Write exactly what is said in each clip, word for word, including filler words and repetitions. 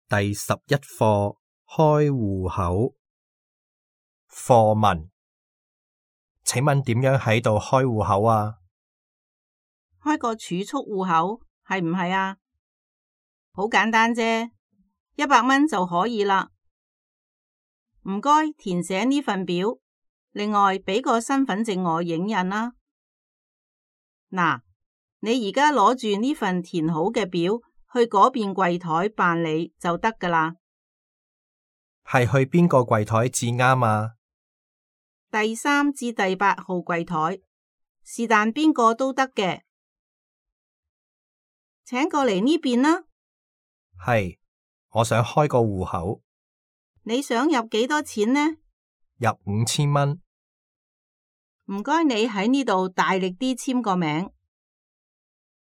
第十一課開戶口。課文：請問點樣喺度開戶口啊？開個儲蓄戶口係唔係啊？好簡單啫，一百蚊就可以啦。唔該，填寫呢份表，另外俾個身份證我影印啦。嗱，你而家攞住呢份填好嘅表去嗰邊櫃台辦理就得㗎啦。係去邊個櫃台至啱啊？第三至第八號櫃台，是但邊個都得嘅。請過嚟呢邊啦。係，我想開個戶口。你想入幾多錢呢？入五千蚊。唔該，你喺呢度大力啲簽個名。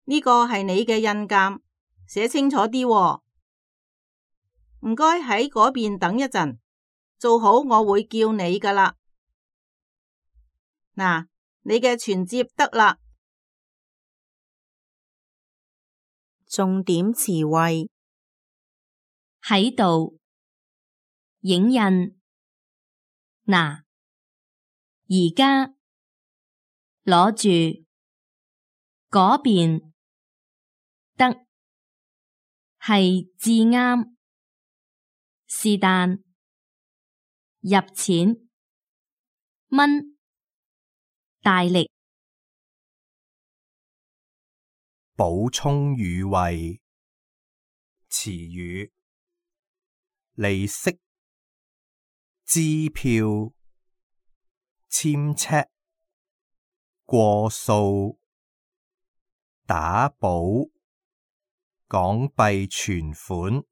呢個係你嘅印鑑，寫清楚啲喎。唔該，喺嗰邊等一陣，做好我會叫你㗎啦。嗱，你嘅存摺得啦。重點詞彙：喺度，影印，嗱，而家，攞住，嗰邊，得，係至啱，是但，入錢，蚊，大力。補充語彙：詞語，利息、支票、簽尺、過數、打補、港幣存款、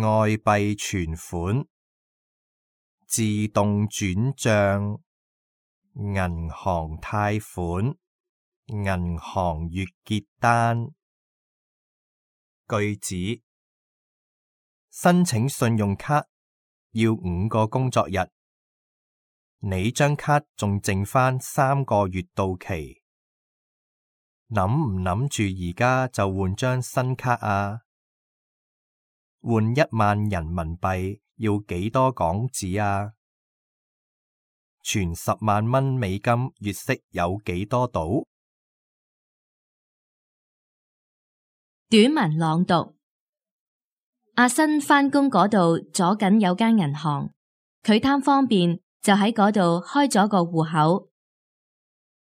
外幣存款、自動轉賬、銀行貸款、銀行月結單。句子：申請信用卡要五個工作日，你張卡仲剩返三個月到期，諗唔諗住而家就換張新卡啊？換一萬人民幣要幾多港紙啊？存十萬蚊美金月息有幾多度？短文朗讀：阿新返工嗰度左近有間銀行，佢貪方便就喺嗰度開咗個戶口。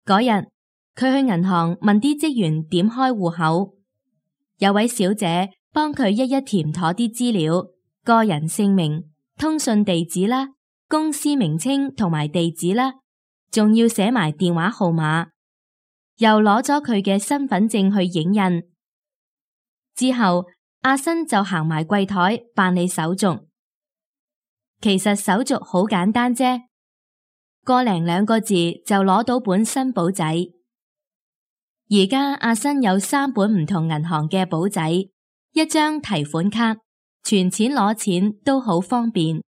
嗰日佢去銀行問啲職員點開戶口，有位小姐幫佢一一填妥啲資料，個人姓名、通訊地址啦、公司名稱同埋地址啦，仲要寫埋電話號碼，又攞咗佢嘅身份證去影印。之後阿新就行埋櫃台辦理手續。其實手續好簡單啫，個零兩個字就攞到本新簿仔。而家阿新有三本唔同銀行嘅簿仔，一張提款卡，存錢攞錢都好方便。